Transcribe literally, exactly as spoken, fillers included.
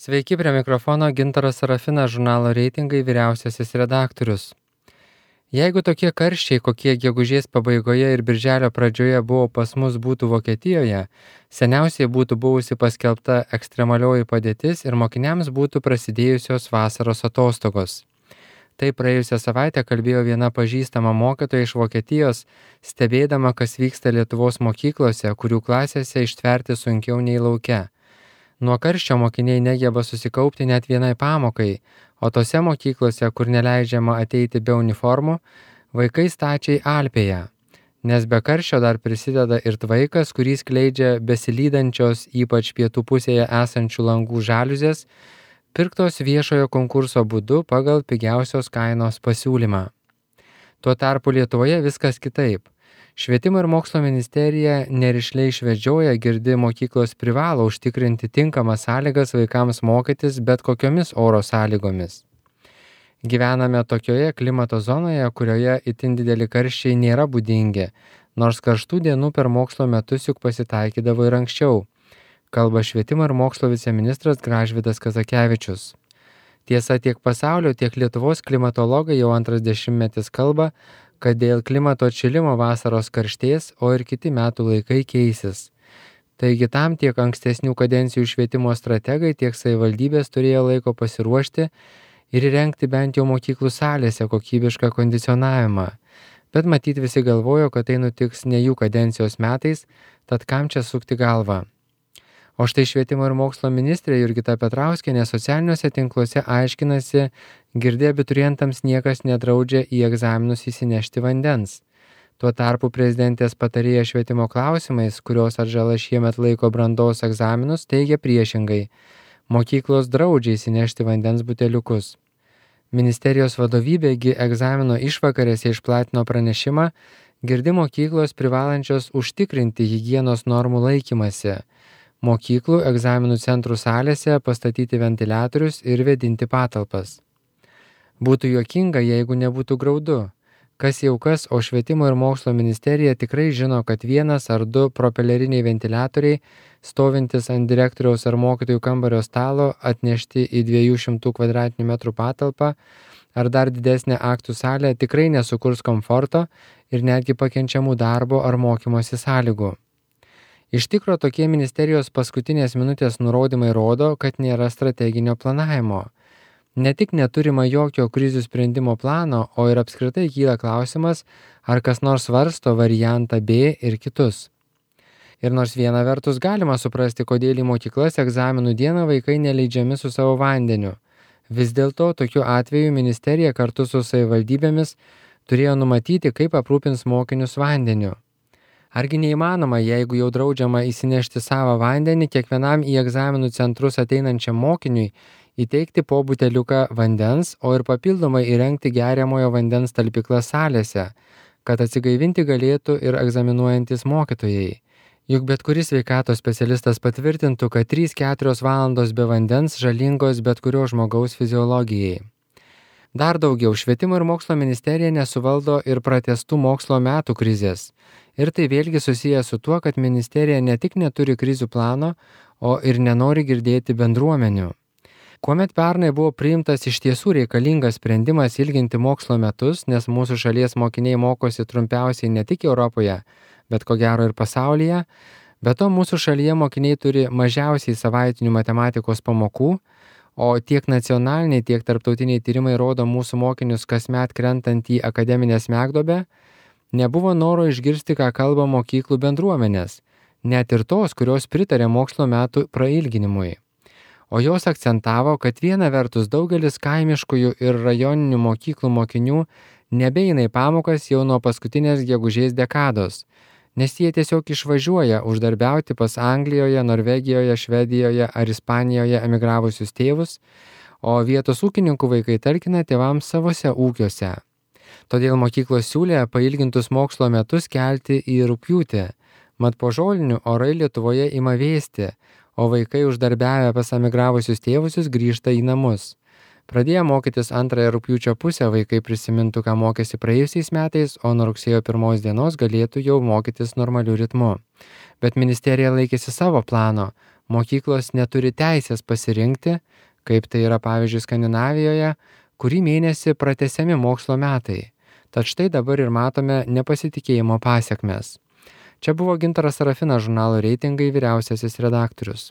Sveiki, prie mikrofono Gintaras Sarafinas, žurnalo Reitingai vyriausiasis redaktorius. Jeigu tokie karščiai, kokie gegužės pabaigoje ir birželio pradžioje buvo pas mus būtų Vokietijoje, seniausiai būtų buvusi paskelbta ekstremalioji padėtis ir mokiniams būtų prasidėjusios vasaros atostogos. Tai praėjusią savaitę kalbėjo viena pažįstama mokytoja iš Vokietijos, stebėdama, kas vyksta Lietuvos mokyklose, kurių klasėse ištverti sunkiau nei lauke. Nuo karščio mokiniai negeba susikaupti net vienai pamokai, o tose mokyklose, kur neleidžiama ateiti be uniformų, vaikai stačiai alpėja. Nes be karščio dar prisideda ir tvaikas, kurį skleidžia besilydančios, ypač pietų pusėje esančių langų žaliuzės, pirktos viešojo konkurso būdu pagal pigiausios kainos pasiūlymą. Tuo tarpu Lietuvoje viskas kitaip. Švietimo ir mokslo ministerija nerišliai švedžioja, girdi mokyklos privalo užtikrinti tinkamas sąlygas vaikams mokytis bet kokiomis oro sąlygomis. Gyvename tokioje klimato zonoje, kurioje itin dideli karščiai nėra būdingi, nors karštų dienų per mokslo metus juk pasitaikydavo ir anksčiau, kalba švietimo ir mokslo viceministras Gražvydas Kazakevičius. Tiesa, tiek pasaulio, tiek Lietuvos klimatologai jau antras dešimtmetis kalba, kad dėl klimato atšilimo vasaros karštės, o ir kiti metų laikai keisis. Taigi tam tiek ankstesnių kadencijų švietimo strategai, tiek savivaldybės turėjo laiko pasiruošti ir įrengti bent jau mokyklų salėse kokybišką kondicionavimą. Bet matyt visi galvojo, kad tai nutiks ne jų kadencijos metais, tad kam čia sukti galvą. O štai švietimo ir mokslo ministrė Jurgita Petrauskienė socialiniuose tinkluose aiškinasi, girdė abiturientams niekas nedraudžia į egzaminus įsinešti vandens. Tuo tarpu prezidentės patarėja švietimo klausimais, kurios atžala šiemet laiko brandos egzaminus, teigia priešingai. Mokyklos draudžia įsinešti vandens buteliukus. Ministerijos vadovybėgi egzamino išvakarėse išplatino pranešimą, girdi mokyklos privalančios užtikrinti higienos normų laikymasi. Mokyklų egzaminų centrų salėse pastatyti ventiliatorius ir vėdinti patalpas. Būtų juokinga, jeigu nebūtų graudu. Kas jau kas, o švietimo ir mokslo ministerija tikrai žino, kad vienas ar du propeleriniai ventiliatoriai, stovintis ant direktoriaus ar mokytojų kambario stalo, atnešti į dviejų šimtų kvadratinių metrų patalpą, ar dar didesnę aktų salę tikrai nesukurs komforto ir netgi pakenčiamų darbo ar mokymosi sąlygų. Iš tikro tokie ministerijos paskutinės minutės nurodymai rodo, kad nėra strateginio planavimo. Ne tik neturima jokio krizių sprendimo plano, o ir apskritai kyla klausimas, ar kas nors svarsto variantą B ir kitus. Ir nors viena vertus galima suprasti, kodėl į mokyklas egzaminų dieną vaikai neleidžiami su savo vandeniu. Vis dėlto tokiu atveju ministerija kartu su savivaldybėmis turėjo numatyti, kaip aprūpins mokinius vandeniu. Argi neįmanoma, jeigu jau draudžiama įsinešti savo vandenį, kiekvienam į egzaminų centrus ateinančiam mokiniui įteikti po buteliuką vandens, o ir papildomai įrengti geriamojo vandens talpyklas salėse, kad atsigaivinti galėtų ir egzaminuojantis mokytojai. Juk bet kuris sveikatos specialistas patvirtintų, kad trys keturios valandos be vandens žalingos bet kurio žmogaus fiziologijai. Dar daugiau, švietimo ir mokslo ministerija nesuvaldo ir pratęstų mokslo metų krizės. Ir tai vėlgi susiję su tuo, kad ministerija ne tik neturi krizių plano, o ir nenori girdėti bendruomenių. Kuomet pernai buvo priimtas iš tiesų reikalingas sprendimas ilginti mokslo metus, nes mūsų šalies mokiniai mokosi trumpiausiai ne tik Europoje, bet ko gero ir pasaulyje, be to mūsų šalyje mokiniai turi mažiausiai savaitinių matematikos pamokų, o tiek nacionaliniai, tiek tarptautiniai tyrimai rodo mūsų mokinius kasmet krentant į akademinę smegduobę, nebuvo noro išgirsti, ką kalba mokyklų bendruomenės, net ir tos, kurios pritarė mokslo metų prailginimui. O jos akcentavo, kad viena vertus daugelis kaimiškųjų ir rajoninių mokyklų mokinių nebeina į pamokas jau nuo paskutinės gegužės dekados, nes jie tiesiog išvažiuoja uždarbiauti pas Anglijoje, Norvegijoje, Švedijoje ar Ispanijoje emigravusius tėvus, o vietos ūkininkų vaikai talkina tėvams savose ūkiuose. Todėl mokyklos siūlė pailgintus mokslo metus kelti į rugpjūtį, mat po žolinių orai Lietuvoje ima vėsti, o vaikai uždarbiavę pas emigravusius tėvusius grįžta į namus. Pradėję mokytis antrąją rugpjūčio pusę vaikai prisimintų, ką mokėsi praėjusiais metais, o nuo rugsėjo pirmos dienos galėtų jau mokytis normaliu ritmu. Bet ministerija laikėsi savo plano Mokyklos neturi teisės pasirinkti, kaip tai yra pavyzdžiui Skandinavijoje, kurį mėnesį pratęsiami mokslo metai. Tad štai dabar ir matome nepasitikėjimo pasekmes. Čia buvo Gintaras Sarafinas, žurnalo Reitingai vyriausiasis redaktorius.